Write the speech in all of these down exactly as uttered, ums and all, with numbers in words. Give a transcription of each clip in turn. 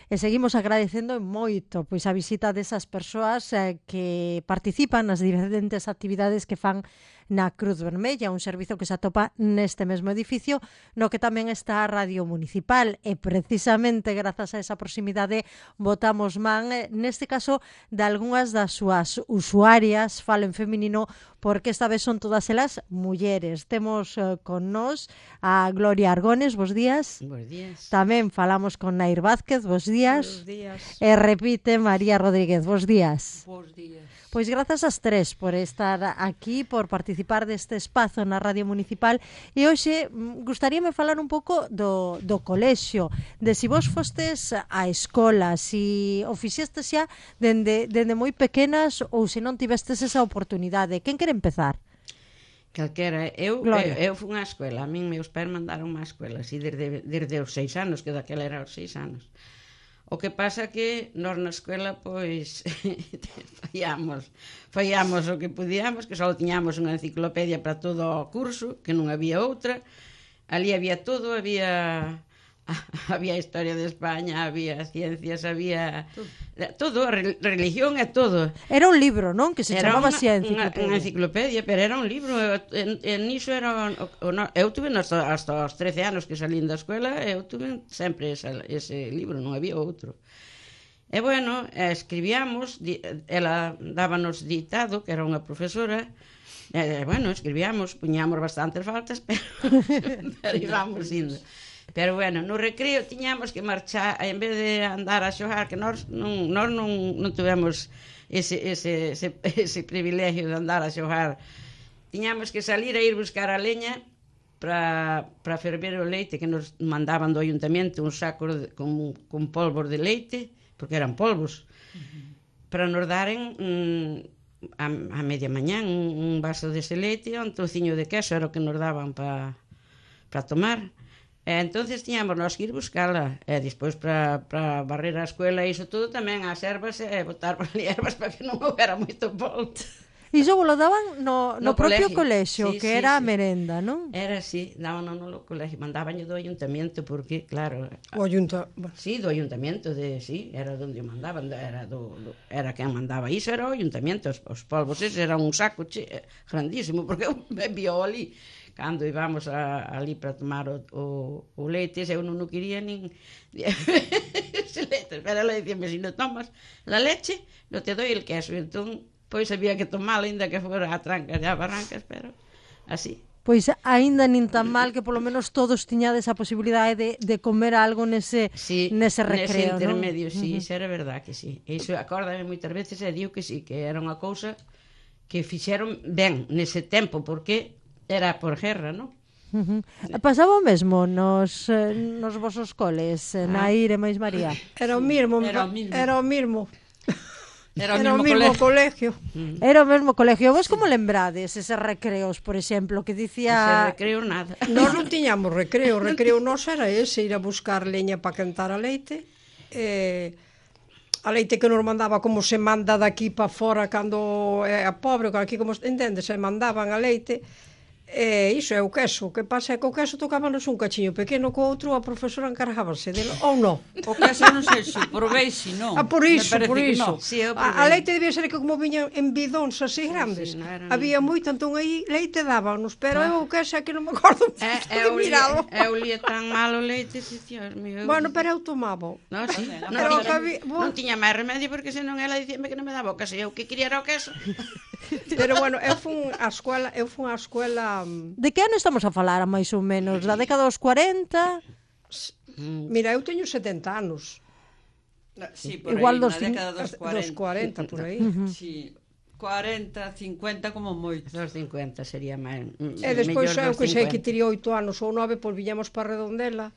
e seguimos agradecendo moito pois a visita desas persoas eh, que participan nas diferentes actividades que fan na Cruz Vermella, un servizo que se atopa neste mesmo edificio, no que tamén está a Radio Municipal, e precisamente grazas a esa proximidade botamos man, eh, neste caso, de algunhas das súas usuarias, falo en feminino, porque esta vez son todas elas mulleres. Temos eh, con nós a Gloria Argones, bos días. Bos días. Tamén falamos con Nair Vázquez, bos días. Bos días. E repite María Rodríguez, bos días. Bos días. Pois grazas ás tres por estar aquí, por participar deste espazo na Radio Municipal, e hoxe gustaríame falar un pouco do, do colexio, de si vos fostes á escola, si o fixestes xa dende, dende moi pequenas ou se non tivestes esa oportunidade. Quen quere empezar? Calquera, eu, Gloria. eu, eu fui á escuela, a min meus pais mandaron má escuela, así desde, desde os seis anos, que daquela era os seis anos. O que pasa que nós na escuela, pois, fallamos, fallamos o que podíamos, que só tiñamos unha enciclopedia para todo o curso, que non había outra, ali había todo, había... había historia de España, había ciencias, había todo, a religión e todo. Era un libro, non? Que se era chamaba unha, así a enciclopedia. Unha enciclopedia, pero era un libro. En, en iso era o, o, no, eu tuve hasta, hasta os trece anos que salín da escola, eu tuve sempre esa, ese libro, non había outro. E bueno, escribíamos, ela dábanos ditado, que era unha profesora. E, bueno, escribíamos, puñamos bastantes faltas, pero, pero íbamos indo. Pero bueno, no recreo tiñamos que marchar, en vez de andar a xogar, que nós non, nós non, non tivemos ese, ese, ese, ese privilegio de andar a xogar. Tiñamos que salir a ir buscar a leña para ferver o leite, que nos mandaban do ayuntamento un saco de, con, con polvos de leite, porque eran polvos, uh-huh. para nos daren mm, a, a media mañán un, un vaso dese leite e un trociño de queso, era o que nos daban para pa tomar. E entonces tiñamos nós que ir buscala, e despois para barrer a escuela e iso todo tamén as ervas e botar para ali ervas para que non houbera moito polvo. Iso vos lo daban no, no, no propio colexio, sí, que sí, era sí. a merenda, non? Era así, daban no colexio, mandaban do ayuntamiento, porque, claro... O ayunta... Sí, do ayuntamiento, de, sí, era onde o mandaban, era, do, do, era quen mandaba iso, era o ayuntamiento, os, os polvos, ese era un saco che, grandísimo, porque eu me vio ali... Cando íbamos a, ali para tomar o, o, o leite, eu non o quería nin ese leite, pero ela dicíame, se si non tomas la leche, non te doi el queso. Entón, pois había que tomalo, ainda que fora a trancas e a barrancas, pero así. Pois aínda nin tan mal que polo menos todos tiñades a posibilidade de, de comer algo nese, sí, nese recreo, nese intermedio, non? sí, Uh-huh. Isso era verdad que sí. Iso acórdame moitas veces e digo que sí, que era unha cousa que fixeron ben nese tempo, porque era por guerra, non? Uh-huh. Pasaba o mesmo nos, eh, nos vosos coles, eh, ah. Nair e máis María? Era o mesmo, era o mesmo. Era o mesmo. Era o era mesmo, mesmo colegio. colegio. Era o mesmo colegio. Vos como lembrades eses recreos, por exemplo, que dicía... Ese recreo nada. Nós non tiñamos recreo, o recreo nos era ese, ir a buscar leña para quentar a leite. Eh, a leite que nos mandaba como se manda daqui para fora cando é a pobre, aquí como entende, se mandaban a leite. E iso é o queso. O que pasa é que o queso tocábanos un cachiño pequeno, co outro a profesora encargábase dele, ou non? O queso non sei se probei, se non. Ah, por iso, por iso. No. Sí, a, a leite debía ser que como viña en bidóns así grandes. Sí, sí, no era... Había moito, entón aí leite dábanos, pero ah. eu o queso é que non me acordo é, de miralo. Eu lía tan mal o leite, si, Dios mío. Bueno, pero eu tomaba. No, sí, no, non, pero tiña, había, non tiña máis remedio, porque senón ela dicíame que non me daba o queso, e eu que quería era o queso. Pero bueno, eu fun á escola, eu fun á escola... De que ano estamos a falar, máis ou menos? Da década dos cuarenta? Mira, eu teño setenta anos. Sí, por igual aí, dos, na década dos cuarenta. Dos cuarenta, por aí. Uh-huh. Sí, cuarenta, cincuenta como moito. Dos cincuenta sería máis. E despois eu que sei que tiría oito anos ou nove, pois viñamos para Redondela.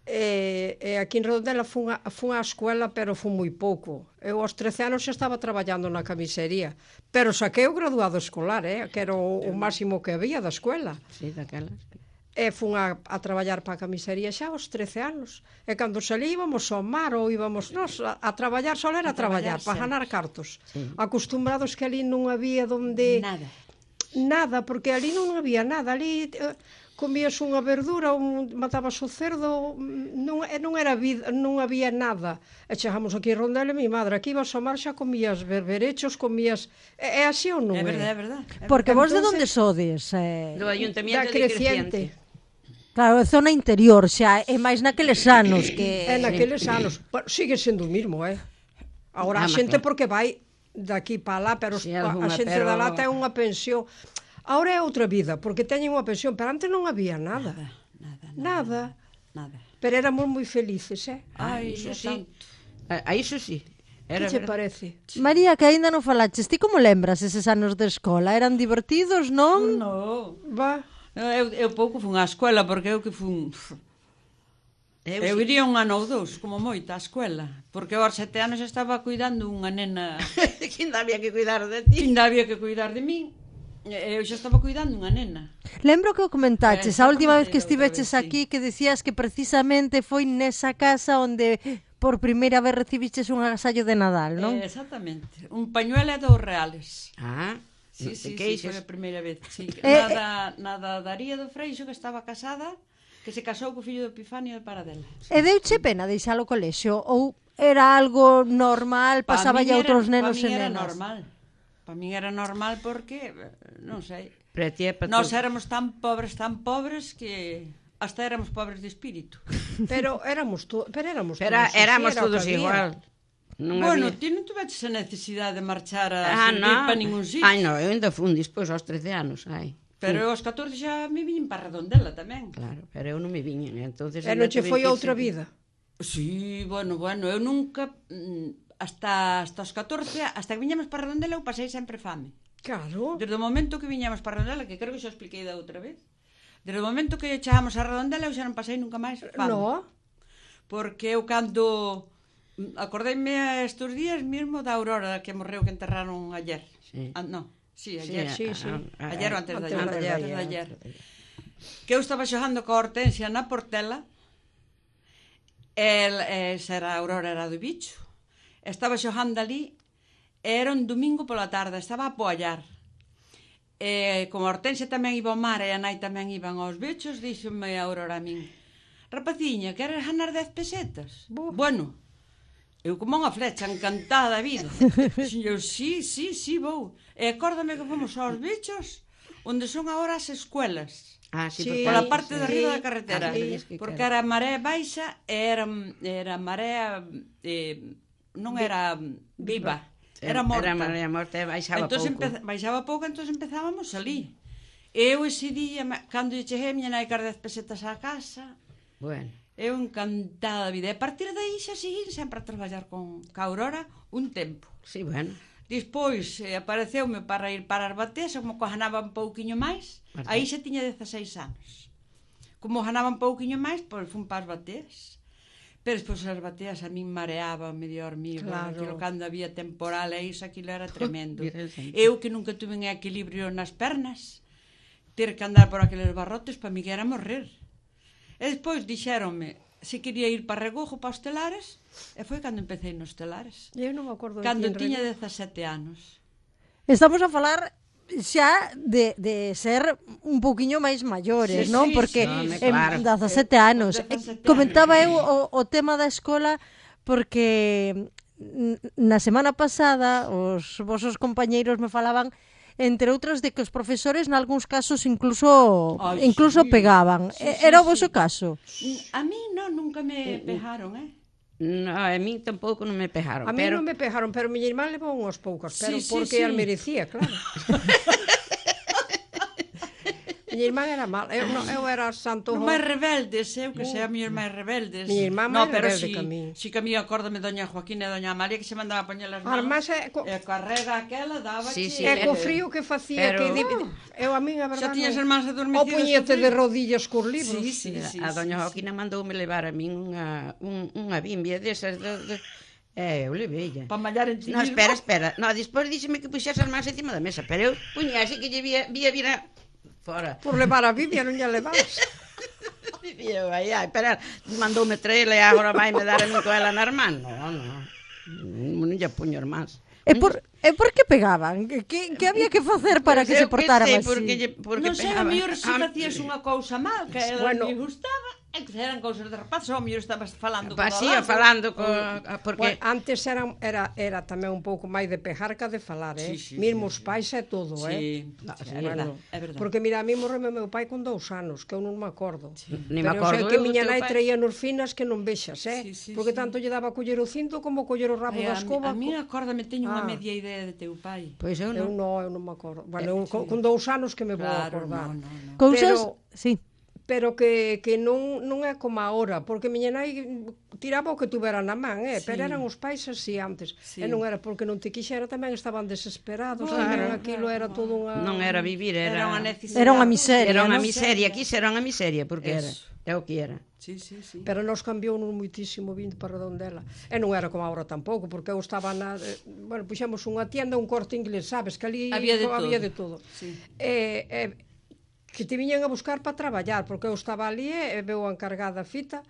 E, e aquí en Redondela fun a, fun á escuela, pero fun moi pouco. Eu aos trece anos xa estaba traballando na camisería, pero saquei o graduado escolar, eh, que era o, o máximo que había da escuela. Sí, daquelas. E fun a, a traballar para a camisería xa aos trece anos. E cando salí íbamos ao mar ou íbamos nos, a, a traballar, só era a traballar, para ganar cartos. Sí. Acostumbrados que ali non había donde... Nada. Nada, porque ali non había nada. Ali... Eh, comías unha verdura, un, matabas o cerdo, non, e non era vida, non había nada. E chegamos aquí a Rondela, mi madre, aquí ibas ao mar, xa comías berberechos, comías... É, é así ou non É é? verdade, é verdade. É Porque vos de Entonces- onde sodes? Eh, Do Da Ayuntamiento de creciente. Creciente. claro, é zona interior, xa é máis naqueles anos que... É naqueles anos. Bueno, sigue sendo o mismo, eh? Agora, Ah, a mas xente claro. porque vai daqui para lá, pero Sí, a, a algunha, xente pero- da lá ten unha pensión. Agora é outra vida, porque teñen unha pensión, pero antes non había nada. Nada, Nada. nada. Pero éramos moi felices, eh? Ai, Iso Dios sí. santo. A, a iso sí. Que Era che verdade. parece? María, que aínda non falaches, ti como lembras eses anos de escola? Eran divertidos, non? No. Va. Eu, eu pouco fun á escola, porque eu que fun... Eu, Eu sí. iría un ano ou dous, como moita, á escola. Porque aos sete anos xa estaba cuidando unha nena que ainda había que cuidar de que ti. ainda había que cuidar de min. E Eu xa estaba cuidando unha nena. Lembro que o comentaches Eh, a última vez que outra vez, estiveches sí. aquí que decías que precisamente foi nesa casa onde por primeira vez recibiches un agasallo de Nadal, non? Eh, exactamente. Un pañuelo e dous reales. Ah, Sí, non te sí, sí, queixes. foi a primeira vez. Sí. Eh, Nada, nada daría do Freixo, que estaba casada, que se casou co fillo do Epifanio de Paradela. E deuche pena deixar o colexio ou era algo normal, Pa pasaba min a era- outros nenos pa e min era nenas? normal. Pa min era normal porque, eh, non sei, Para ti é para nós todo. éramos tan pobres, tan pobres que hasta éramos pobres de espírito. Pero éramos, to pero éramos Pero todos así, éramos era o que todos había. igual. Non Bueno, había... ti non tuveches a necesidade de marchar a Ah, servir non. para ningún sitio. Ai, non, eu ainda fun despois aos trece anos, ai. Pero eu aos catorce xa me viñen para Redondela tamén. Claro, pero eu non me viñen, entonces... E non che foi outra vida. Sí, bueno, bueno, eu nunca mm, hasta hasta os catorce, hasta que viñamos para Redondela eu pasei sempre fame. Claro. Desde o momento que viñamos para Redondela, que creo que xa o expliquei da outra vez. Desde o momento que chegamos a Redondela eu xa non pasei nunca máis fame. No. Porque eu cando mm, acordeime estes días mesmo da Aurora que morreu, que enterraron ayer. Sí. Ah, no, sí, Sí, ayer. sí, sí. a- a- Ayer ou antes de antes ayer. de Antes ayer, de ayer. Que eu estaba xogando coa Hortensia na Portela. El, esa era a Aurora, era do bicho. Estaba xogando ali. Era un domingo pola tarde, estaba a poallar. E como a Hortensia tamén iba ao mar e a nai tamén iban aos bichos, díxome a Aurora a min: rapaciña, queres ganar dez pesetas? Bo. Bueno, eu como unha flecha, encantada da vida. Eu, sí, sí, sí, vou. E acórdame que fomos aos bichos, onde son agora as escuelas. Ah, sí, Sí. porque Pola antes, parte de sí. arriba da Ah, carretera, sí, dices que porque era. era maré baixa e era, era marea eh, non era viva, era morta. Era marea morta e baixaba Entón pouco. empeza, baixaba pouco, entón empezábamos ali. Eu ese día, ma- cando lle cheguei, a miña nai car dez pesetas á casa, Bueno, eu encantada da vida. E a partir de aí xa seguín sempre a traballar con ca Aurora un tempo. sí, bueno. Despois eh, apareceume para ir para as bateas, como que ganaba un pouquiño máis, As aí xa tiña dezaseis anos. Como ganaba un pouquiño máis, pois fun para as bateas. Pero despois as bateas a min mareaba, medio dormiba, Claro. aquilo cando había temporal e iso, aquilo era tremendo. Virgen Santa. Eu que nunca tuve en equilibrio nas pernas, ter que andar por aqueles barrotes, para mí que era morrer. E despois dixéronme se quería ir para Regojo, para os telares, e foi cando empecé nos telares. Eu non me acordo de Cando ti en tiña Regojo. dezasete anos. Estamos a falar xa de, de ser un pouquiño máis maiores, Sí, non? sí, Porque sí, home, en claro. dezasete anos. dezasete Comentaba anos. eu o, o tema da escola porque n- na semana pasada os vosos compañeiros me falaban entre outras de que os profesores nalgúns casos incluso Ai, incluso sí. pegaban. Sí, E- sí, Era o sí. voso caso? A mí non, nunca me pejaron, eh? No, a mí tampouco non me pejaron, A mí pero... non me pejaron, pero miña irmán levou unhas poucas, pero Sí, sí, porque sí. as merecía, claro. Miña irmán era mal, eu, non, eu era santo... Os máis rebeldes, eu que sea mellor máis rebeldes. Miña irmá no, máis pero rebelde si, que a min. si que a mí acórdame doña Joaquina e doña Amalia que se mandaba a poñer as As manos. más é co- E a carrega aquela daba Sí, sí, E eh, co frío que facía, pero- que... Di, eu a min, a Xa verdade... tiñas non- as mans adormecidas. O puñete co de frío. rodillas cos libros. Sí, sí, sí. a doña sí, Joaquina mandoume levar a min unha, un, unha bimbia desas de, de... Eh, eu levei Para mallar en ti No, mismo. espera, espera. No, despois díxeme que puxese as mans encima da mesa, pero eu puña así que lle vía, vía vira fora. Por levar a Biblia non lle levas. E eu, ai, ai, espera, mandoume traela e agora vai me dar a min con ela nas mans. No, no, non lle puño as mans. E por, e por que pegaban? Que, que, que había que facer para que se portaran así? Porque, lle- porque Non sei, a pegaban. mellor se Ah, facías unha cousa mal, que a ela Bueno. lle gustaba, e que eran cousas de rapaz, ou a mellor estabas falando Pa, con sí, falando co, porque Bueno, antes era, era, era tamén un pouco máis de pejar que de falar, eh? Sí, sí, Mesmo sí, os pais é todo, eh? Sí, No, sí, sí, é verdade, Bueno, é verdade. porque mira, a mí morreu meu pai con dous anos, que eu non me acordo. Ni me Pero acordo eu sei que eu do miña teu nai pai. traía nos finas que non vexas, eh? Sí, sí, porque sí. tanto lle daba a coller o cinto como coller o rabo Ai, da a, mi- escoba. a mí, co- acórdame, teño unha Ah. media idea de teu pai. Pois eu Eu non. non, eu non me acordo. Bueno, eu, con, con dous anos que me vou a Claro, acordar. no, no, no. Cousas, Pero- sí. Pero que, que non, non é como agora, porque miña nai tiraba o que tuvera na man, eh? Sí. Pero eran os pais así antes. Sí. E non era porque non te quixera, tamén estaban desesperados, Bueno, tamén claro. aquilo era todo unha... Non era vivir, era... Era unha necesidade. Era unha miseria, Era unha non? miseria, aquí era unha miseria, porque era. Eso. É o que era. Sí, sí, sí. Pero nos cambiou non moitísimo vindo para Redondela. E non era como agora tampouco, porque eu estaba na... eh, Bueno, puxemos unha tienda, un Corte Inglés, sabes? Que ali Había de había todo. de todo. Sí. E, e, que te viñan a buscar para traballar, porque eu estaba ali e veu a encargada fita,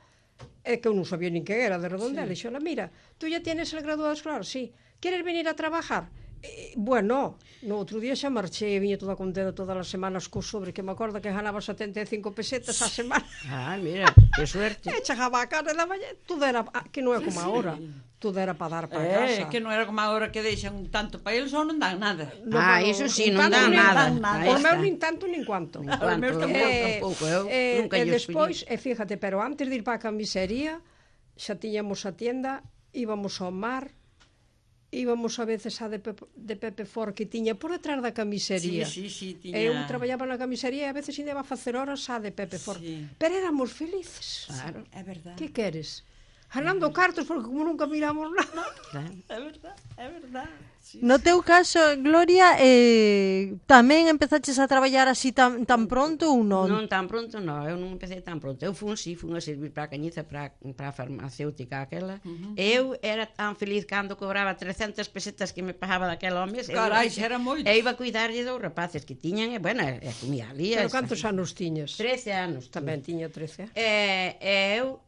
e que eu non sabía nin que era de Redondela. Sí. E xola, mira, tú ya tienes el graduado escolar? Sí. Queres venir a trabajar? E, bueno, no outro día xa marchei e viña toda contenta todas as semanas co sobre, que me acordo que ganaba setenta e cinco pesetas a semana. Ah, mira, que suerte. E chegaba a casa da mañá, tudo era, ah, que non é como agora, tudo era para dar para Eh, casa. que non era como agora que deixan tanto para eles ou non dan nada. No, Ah, no, iso sí, nin non tanto dan nin nada. tan nada. Por Aí meu está. nin tanto nin cuanto. Nin cuanto, meus eu tampouco. tampouco, eu eh, nunca e lles despois, pillei. e fíjate, pero antes de ir para a camisería, xa tiñamos a tienda, íbamos ao mar, íbamos a veces a de Pepe, de Pepe For que tiña por detrás da camisería. Sí, sí, sí, tiña... E eu traballaba na camisería e a veces ainda iba a facer horas a de Pepe For. Sí. Pero éramos felices. Claro, É verdade. Que queres? Ganando cartos, porque como nunca miramos nada. claro. É verdade, é verdade. Sí, No teu caso, Gloria, eh, tamén empezaches a traballar así tan, tan pronto ou non? Non tan pronto, non, eu non empecé tan pronto. Eu fun, si, fun a servir para a Cañiza, para, para a farmacéutica aquela. Uh -huh. Eu era tan feliz cando cobraba trescentas pesetas que me pagaba daquela ao mes. Carai, eu, xa era moito. E iba a cuidarlle dos rapaces que tiñan, e, bueno, e comía ali. Pero esa- cantos anos tiñas? trece anos. Tamén tiña trece. E, e eu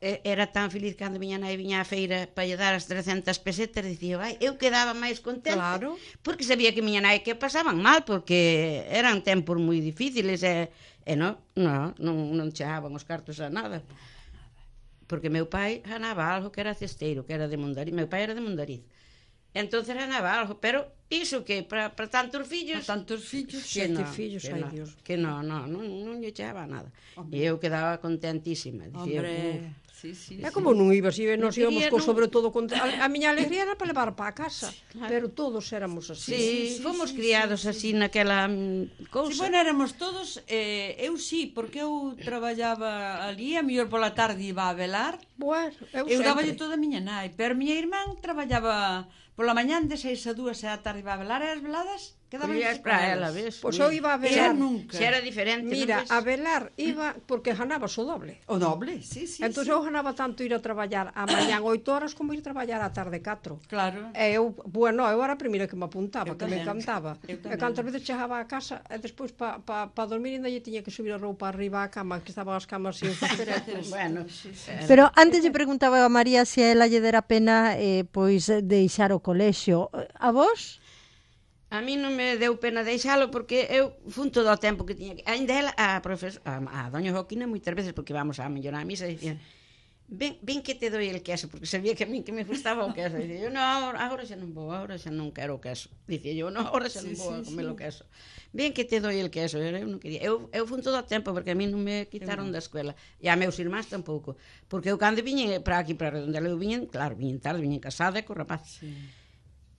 e- era tan feliz cando miña nai viña á feira para lle dar as trescentas pesetas, dicía, vai, eu quedaba máis contenta, Claro. porque sabía que miña nai que pasaban mal, porque eran tempos moi difíciles, e, e non, non, non, non chegaban os cartos a nada. Porque meu pai ganaba algo que era cesteiro, que era de Mondariz, meu pai era de Mondariz. Entonces ganaba algo, pero iso que para, para tantos fillos... A tantos fillos. que Sete non, fillos, que ai, non, Dios. Que non, non, non, non lle chegaba nada. Hombre. E eu quedaba contentísima. Dicía, Hombre, sí, sí. É sí. como non ibas, e nos Non íbamos quería, co non. sobre todo con... a, a miña alegría era para levar para a casa, claro. pero todos éramos así. Sí, sí, sí, fomos sí, criados sí, así naquela mm, cousa. Si, bueno, éramos todos, eh, eu sí, porque eu traballaba ali, a mellor pola tarde iba a velar, Bueno, eu, eu sempre. daballe toda a miña nai, pero a miña irmán traballaba pola mañán de seis a dúas e a tarde iba a velar, e as veladas quedaban Collías para ela, ves? Pois eu iba a Eu velar. nunca. Se era diferente, Mira, non ves? a velar iba porque ganabas o doble. O doble, sí, sí. Entón sí. eu ganaba tanto ir a traballar a mañán oito horas como ir a traballar a tarde catro. Claro. E eu, bueno, eu era a primeira que me apuntaba, Eu que me tamén. encantaba. Eu E tamén. cantas veces chegaba a casa e despois para pa, pa dormir ainda lle tiña que subir a roupa arriba á cama, que estaban as camas sin facer. Bueno, Pero antes lle preguntaba a María se a ela lle dera pena eh, pois deixar o colexio. A vos? a mí non me deu pena deixalo porque eu fun todo o tempo que tiña que... Ainda ela, a, profes, a, a doña Joaquina, moitas veces, porque vamos a mellor a misa, dicían, ven, ven que te doi el queso, porque sabía que a mí que me gustaba o queso. Dicía, yo, no, agora, agora xa non vou, agora xa non quero o queso. Dicía yo, no, agora xa non Sí, vou a sí, comer sí. o queso. Ven que te doi el queso. Eu non quería. Eu, eu fun todo o tempo, porque a mí non me quitaron da escuela. E a meus irmáns tampouco. Porque eu cando viñen para aquí, para Redondela, eu viñen, claro, viñen tarde, viñen casada e co rapaz. Sí.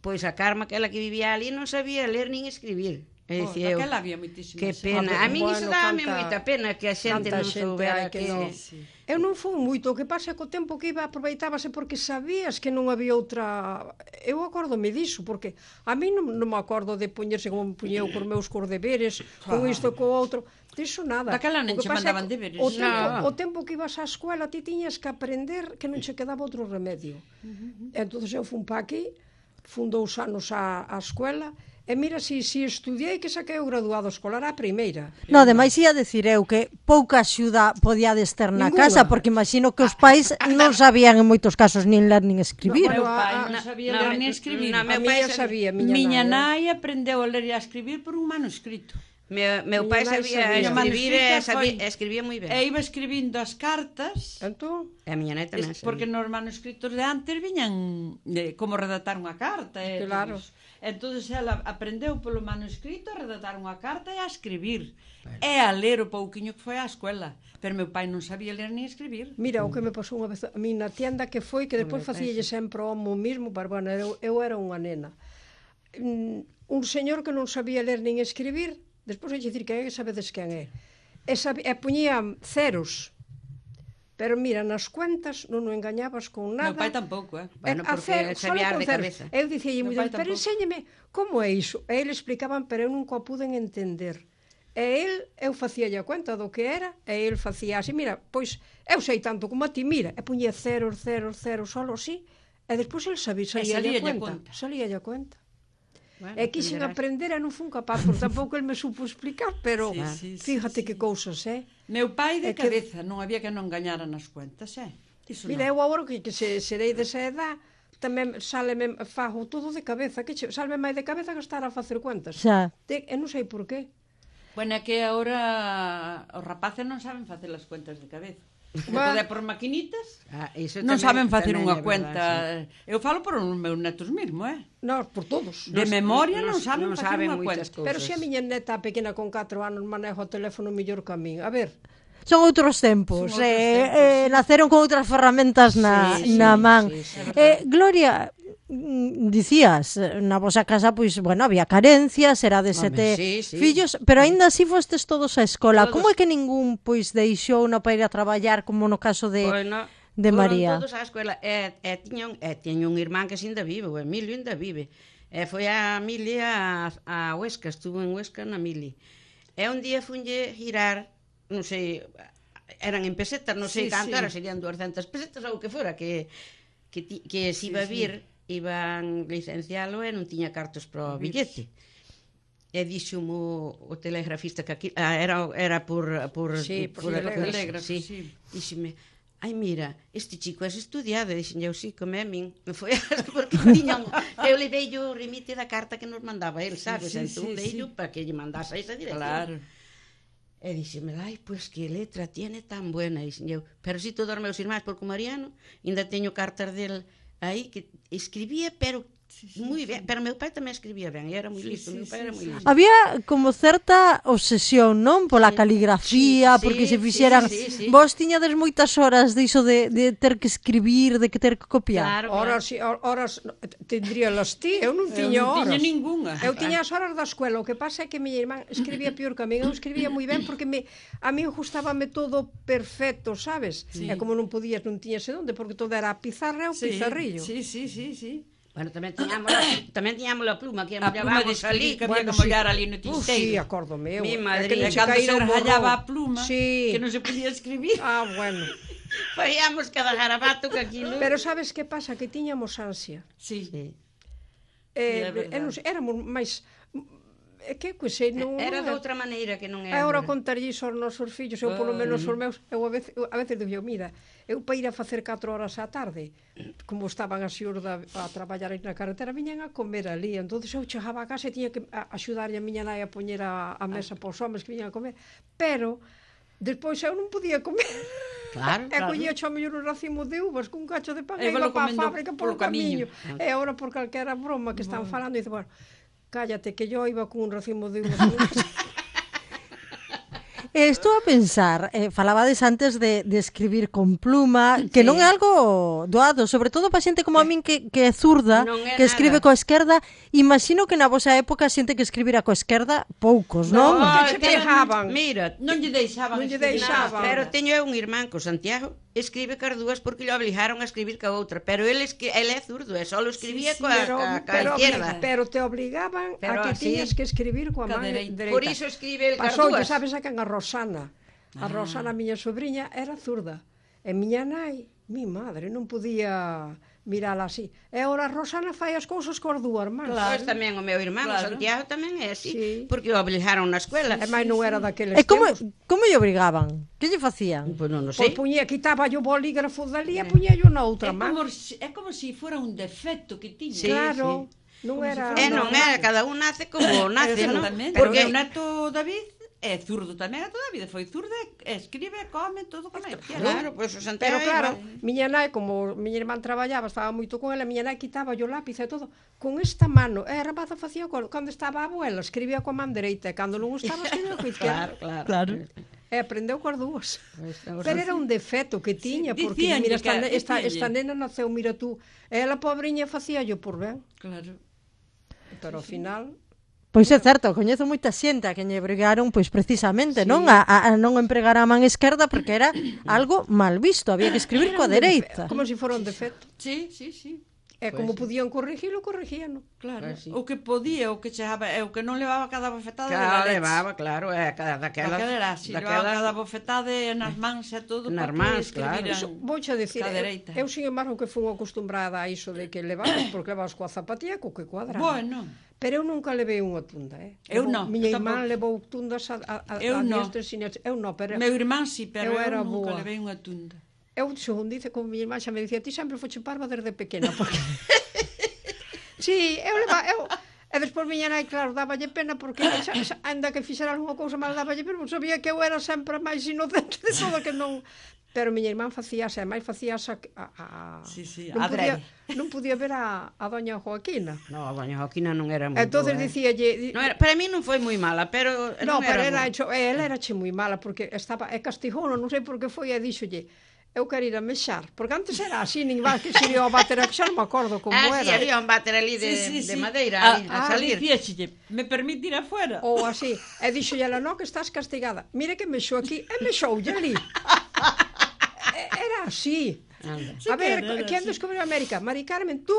Pois a Carma, aquela que vivía ali, non sabía ler nin escribir. E Oh, dicía eu, daquela había moitísimas. que pena. A mí Bueno, iso dáme canta- moita pena que a xente tanta non xente soubera hai que que... non- Sí. Eu non fui moito, o que pasa é que o tempo que iba aproveitábase porque sabías que non había outra... Eu acórdome diso, porque a mí non, non me acordo de poñerse como me puñeu cos meus cos deberes, con isto e co outro, diso nada. Daquela non O que che pasa é mandaban que deberes. O tempo, No. o tempo que ibas á escuela ti tiñas que aprender que non che quedaba outro remedio. Uh -huh. Entón eu fun pa aquí, fun dous anos á, á escuela, e mira, si, si estudiei que saquei o graduado escolar á primeira. No, ademais ia decir eu que pouca axuda podíades ter na Ninguna. casa, porque imagino que os pais non sabían en moitos casos nin ler nin escribir. No, Meu bueno, pai a- non a- sabía na- ler na- ni escribir. na- A meu pai miña sabía- sabía, miña, Miña nai. nai aprendeu a ler e a escribir por un manuscrito. Meu, meu Miña pai nai sabía sabía. escribir e Manuscrito sabía, foi- escribía moi ben. E iba escribindo as cartas, Entón, E a miña nai tamén es, sabía. porque nos manuscritos de antes viñan eh, como redactar unha carta. E Claro. todo iso. Entonces ela aprendeu polo manuscrito a redactar unha carta e a escribir. Bueno. E a ler o pouquiño que foi á escuela. Pero meu pai non sabía ler ni escribir. mira, o que me pasou unha vez a mí na tienda que foi, que depois facíalle sempre o mo mismo, pero bueno, eu, eu era unha nena. Mm, un señor que non sabía ler nin escribir, despois hai que dicir quen é, que sabedes quen é. E, sabe, e poñía ceros. Pero mira, nas cuentas non o engañabas con nada. Meu pai tampouco, eh? Bueno, A porque cero, solo sabía con de ceros. cabeza. Eu dicía Meu moi pai ben, pero tampouco. enséñeme como é iso. E ele explicaban, pero eu nunca o puden entender. E el, eu facía a conta do que era, e el facía así, mira, pois eu sei tanto como a ti, mira, e puñía ceros, ceros, ceros, solo así, e despois el sabía, salía a salíalle a conta. conta. Salía a conta. Bueno, E quixen aprenderás. aprender e non fun capaz, porque tampouco el me supo explicar, pero Sí, sí, sí, fíjate sí. que cousas, eh? Meu pai É de que- cabeza, non había que non gañara nas cuentas, eh? Iso Mira, non. eu agora que, que se, serei desa edad, tamén saleme, fago todo de cabeza, que che, salme máis de cabeza que estar a facer cuentas. Xa. De, e non sei por qué. Bueno, é que agora os rapaces non saben facer as cuentas de cabeza. Como Bah. poder por maquinitas, Ah, iso non tamén- saben facer tamén unha é verdade, cuenta. sí. Eu falo por os meus netos mesmo, eh? Non, por todos. De memoria non, non- saben non facer saben unha moitas cuenta. cousas. Pero se a miña neta pequena con catro anos maneja o teléfono mellor que a min. A ver, Son outros tempos, Son outros eh, tempos, eh, naceron con outras ferramentas na, Sí, sí, na man. sí, sí, eh, Gloria, mm, dicías, eh, na vosa casa, pois, bueno, había carencias, era de Home, sete sí, sí. fillos, pero aínda así fostes todos á escola. Todos. Como é que ningún, pois, deixou na para ir a traballar, como no caso de... Bueno, de foron María. todos á escola e, e, tiñan, e tiña un irmán que ainda vive, o Emilio ainda vive. E foi a Mili a, a Huesca, estuvo en Huesca na Mili. E un día funlle girar, non sei, eran en pesetas, non sei Sí, canto, sí. era, serían duascentas pesetas ou o que fora, que, que, ti, que se iba a vir, iban licencialo e non tiña cartos para o billete. E dixo-mo o telegrafista que aquí ah, era era por por Sí, por por, telégrafo, telégrafo, sí. sí. Díxeme, ai mira, este chico é estudiado, e dixen eu, sí, como é a min. Me foi porque tiñan, eu levei o remite da carta que nos mandaba el, sabes? sí, entón sí, dei sí. para que lle mandase a esa dirección. Claro. E dixeme, ai, pois que letra tiene tan buena, dixen eu. Pero si todos os meus irmáns, porque o Mariano, ainda teño cartas del aí que escribía, pero sí, sí, moi ben, pero meu pai tamén escribía ben, e era moi Sí, listo, sí, meu pai sí, era moi sí. listo. Había como certa obsesión, non? Pola Sí, caligrafía, sí, porque sí, se fixeran... sí, sí, sí. Vos tiñades moitas horas diso de, de ter que escribir, de que ter que copiar. Claro, claro. horas, e horas tendría las ti, eu non Eu tiña non horas. tiña ningunha. Eu tiña as horas da escuela, o que pasa é que miña irmán escribía pior que a min, eu escribía moi ben porque me, a mí gustábame todo perfecto, sabes? Sí. E como non podías, non tiñas onde, porque todo era a pizarra e o pizarrillo. Sí, sí, sí, sí. Bueno, tamén tiñamos, a- tamén tiñamos a pluma, que A pluma de mollábamos ali. escribir que había que mollar ali no Uf, sí, tinteiro. acórdome eu. Mi É madre, que non E se cando se caíra o borrón. rayaba a pluma, Sí. que non se podía escribir. Ah, bueno. Faíamos cada garabato que aquilo. Pero sabes que pasa? Que tiñamos ansia. Sí. Sí. Eh, É verdade. e non sei, éramos máis... É que, que sei, non... Era non de outra maneira que non é Agora agora. contarlle iso aos nosos fillos, eu polo menos os meus, eu a veces, eu, a veces digo, mira, eu para ir a facer catro horas á tarde, como estaban as xurda a traballar aí na carretera, viñan a comer ali, entonces eu chegaba a casa e tiña que a, axudarlle a miña nai a poñer a, a mesa para os homens que viñan a comer, pero despois eu non podía comer. Claro, E claro. collía cho mellor un racimo de uvas cun cacho de pan e E iba valo para a comendo fábrica polo polo camiño. camiño. E agora por calquera broma que están falando, dice, bueno, cállate, que yo iba con un racimo de uvas. Eh, estou a pensar, eh, falabades antes de, de escribir con pluma, que Sí. non é algo doado, sobre todo para xente como a min que, que é zurda, Non é que escribe nada. coa esquerda. Imagino que na vosa época xente que escribira coa esquerda, poucos, non? que che pero- pegaban. Mira, Non lle deixaban Non lle escribir deixaban. nada. pero teño eu un irmán co Santiago, escribe cas dúas porque lle obligaron a escribir ca outra, pero ele esque, ele é zurdo, e só escribía Sí, sí, coa, pero, ca, ca pero, izquierda. pero te obligaban Pero a que así. tiñas que escribir coa Ca man dereita. dereita. Por iso escribe el cas Pasoulle, dúas. sabes a quen? A Rosana. A Rosana, a miña sobrinha, era zurda. E miña nai, mi madre, non podía mirala así. E ora Rosana fai as cousas cos dúas irmáns. Claro. Pois tamén o meu irmán, Claro. o Santiago, tamén é así, Sí. porque o obligaron na escuela. E máis non era daqueles E como, tempos. como lle obrigaban? Que lle facían? Pois non o Pois sei. puñía, quitaba yo o bolígrafo dali e puñía yo na outra É man. como, si- é como se si fora un defecto que tiña. Sí, Claro, non Como era... se É, non é, cada un nace como nace, non? Exactamente. Porque Porque o neto David é zurdo tamén, a toda a vida foi zurdo, e escribe, come, todo como é. Claro, pois o Santiago Pero claro, igual. miña nai, como miña irmán traballaba, estaba moito con ela, miña nai quitaba yo lápiz e todo, con esta mano, e a rapaza facía cando, cando estaba a abuela, escribía coa man dereita, e cando non estaba escribía coa izquierda. Claro, claro. Claro. E aprendeu coas dúas. Pois, o Pero era un defecto que tiña, Sí, porque dicíanlle mira, esta, que- ne- esta, dicíanlle. esta nena naceu, mira tú, e ela pobriña facía yo por ben, Claro. pero ao final... Pois é certo, coñezo moita xente a que lle obrigaron pois precisamente, non? A, a, a non empregar a man esquerda porque era algo mal visto, había que escribir coa dereita. Como se fora un defecto. Sí, sí, sí. E como podían corrigilo, corrigían. Claro. Pois sí. O que podía, o que chegaba, e o que non levaba cada bofetada de la Claro, leche. levaba, claro, é cada daquela. Daquela era así, levaba cada bofetada e nas mans e todo Nas para que mans, claro. escribiran. Iso, vouche dicir, Ca eu, dereita. eu sin embargo que fui acostumbrada a iso de que levabas, porque levabas coa zapatilla co que cuadraba. Bueno, Pero eu nunca levei unha tunda, eh? Eu Levou- non, Miña eu irmán tampouco. levou tundas a, a, a, Eu a non. diestra e siniestra. Eu non, pero meu irmán sí, pero eu eu, era nunca boa. levei unha tunda. eu, según dice, como miña irmán xa me dicía, ti sempre foche parva desde pequena, porque... sí, eu leva, eu... E despois miña nai, claro, daballe pena porque xa, xa, ainda que fixera algunha cousa mal daballe pena, porque sabía que eu era sempre máis inocente de todo que non... Pero miña irmán facía, e máis facía a, a, a... Sí, sí, non podía, adrede. non podía ver a, a doña Joaquina. No, a doña Joaquina non era moi Entonces boa, eh. dicíalle... Non era, para mí non foi moi mala, pero No, non pero era era boa. hecho, ela era che moi mala porque estaba e castigouno, non sei por que foi e díxolle, eu quero ir a mexar, porque antes era así, nin vas que se iba a bater a xa non me acordo como Ah, sí, era. había un váter ali de, Sí, sí, de sí. madeira A- ali, a, ah, salir. Dicíaxelle, me permite ir afuera? Ou así, e díxolle ela, no, que estás castigada. Mire que mexou aquí, e mexoulle ali. E- Era así. Anda. A ver, que era quen así. descubriu América? Mari Carmen, tú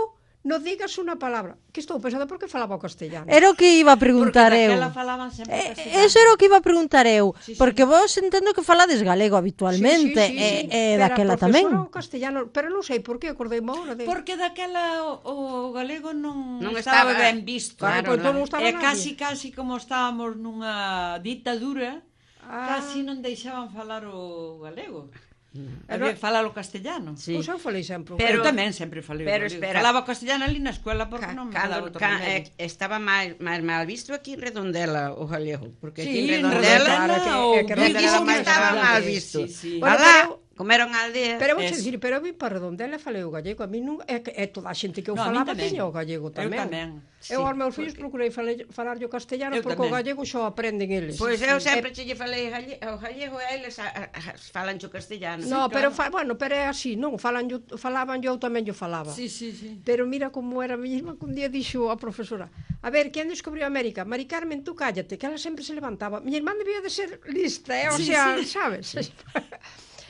non digas unha palabra. Que estou pensando porque falaba o castellano. Era o que iba a Porque preguntar eu. daquela falaban sempre Eh, castellano. Eso era o que iba a preguntar eu, Sí, sí. porque vos entendo que falades galego habitualmente, Sí, sí, sí, sí. e, e Pero a daquela profesora tamén. o castellano, pero non sei por que, acordeime agora de... Porque daquela o, o galego non, Non estaba, estaba- ben visto. Claro, Claro, pois non. non estaba E nadie. casi, casi como estábamos nunha ditadura, Ah. casi non deixaban falar o galego. Pero- Había que falar o castellano. Sí. Pois eu falei sempre. o Pero- eu tamén sempre falei o pero galego. espera. Falaba o castellano ali na escuela porque Ca- non me cando, falaba outro ca, remedio. eh, estaba máis, máis mal visto aquí en Redondela o galego, porque aquí Sí, en en Redondela Redondela, que- ou é que dicen Redondela que máis estaba grande, mal sí, visto. sí. Bueno, Alá, pero- como era unha aldea, Pero vou Es- dicir, pero eu vi para Redondela e falei o gallego, a mí non é que é toda a xente que eu No, a min falaba tamén. tiña o gallego Eu tamén. tamén, Eu sí, aos meus porque- fillos procurei falar, falar o castellano Eu porque o tamén. gallego xo aprenden eles. pois eu sempre che lle falei galle- o gallego e eles a, a, a, falan o castellano. No, Sí, pero claro. fa, bueno, pero é así, non, falan yo, falaban yo tamén yo falaba. Sí, sí, sí. Pero mira como era a miña irmá que un día dixo a profesora, a ver, quen descubriu América? Mari Carmen, tú cállate, que ela sempre se levantaba. Miña irmán debía de ser lista, eh? o Sí, sea, sí. sabes?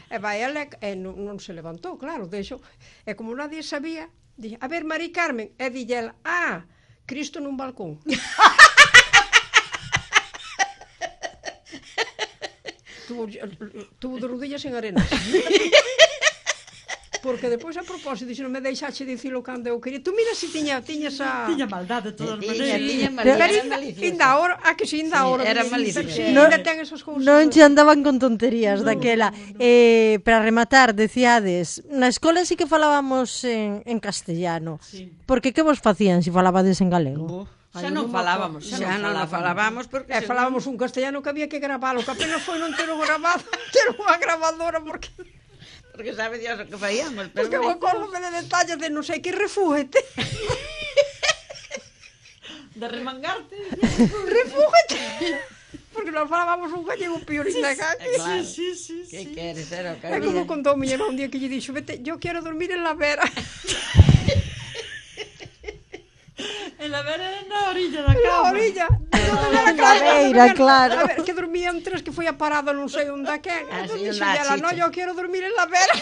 E vai, ela e non, non se levantou, claro, deixo. E como nadie sabía, dixo, a ver, Mari Carmen, e dille ela, ah, Cristo nun balcón. tuvo, tuvo de rodillas en arenas. Porque depois a propósito, dixo, non me deixaxe dicilo cando eu quería. Tú mira se tiña, tiñas a... Tiña maldade de todas Tiña, maneiras. tiña Pero maldade, era ainda, maliciosa. ainda ahora, a que si, ainda Sí, ahora. era sí, maliciosa. sí, No- ainda ten esas cousas. Non che andaban con tonterías daquela. Eh, para rematar, decíades, na escola sí que falábamos en, en castellano. Sí. Porque que vos facían se falabades en galego? Bo. Xa non falábamos, xa, Xa non o falábamos porque E senón- falábamos un castellano que había que gravalo, que apenas foi non ter o grabado, ter unha grabadora, porque, porque sabe Dios o que faíamos, pero porque eu acordome de detalles de non sei que refúgete, De remangarte. refúgete, porque nós falábamos un gallego piorín de caque. claro. Sí, sí, sí. que sí. queres, era o que É como había. contou miña irmá un día que lle dixo, vete, yo quero dormir en la vera. En la vera na orilla da Na cama. orilla. Na beira, claro. A ver, que dormían tres que foi a parada non sei onde a quen. Ah, Entón sí, dixo onda, ela, no, chicha. yo quero dormir en la vera.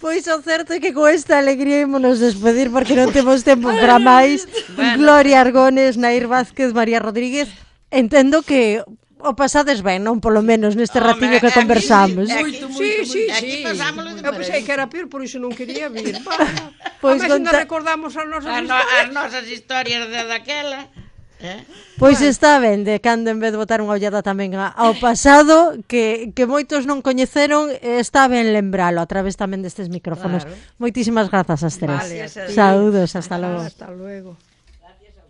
Pois o certo é que con esta alegría ímonos despedir porque non temos tempo para máis. Bueno. Gloria Argones, Nair Vázquez, María Rodríguez. Entendo que o pasades ben, non polo menos neste Home, ratiño que a mí conversamos. sí, Moito, moito, Sí, sí, Aquí sí. pasámolo de Eu pensei que era peor, por iso non quería vir. Pois Pois conta- ainda recordamos as nosas As, no, historias. as nosas historias de daquela. Eh? Pois está ben, de cando en vez de botar unha ollada tamén a- ao pasado, que, que moitos non coñeceron, eh, está ben lembralo a través tamén destes micrófonos. Claro. Moitísimas grazas ás tres. Vale, a ti. Saúdos, hasta logo. Hasta luego.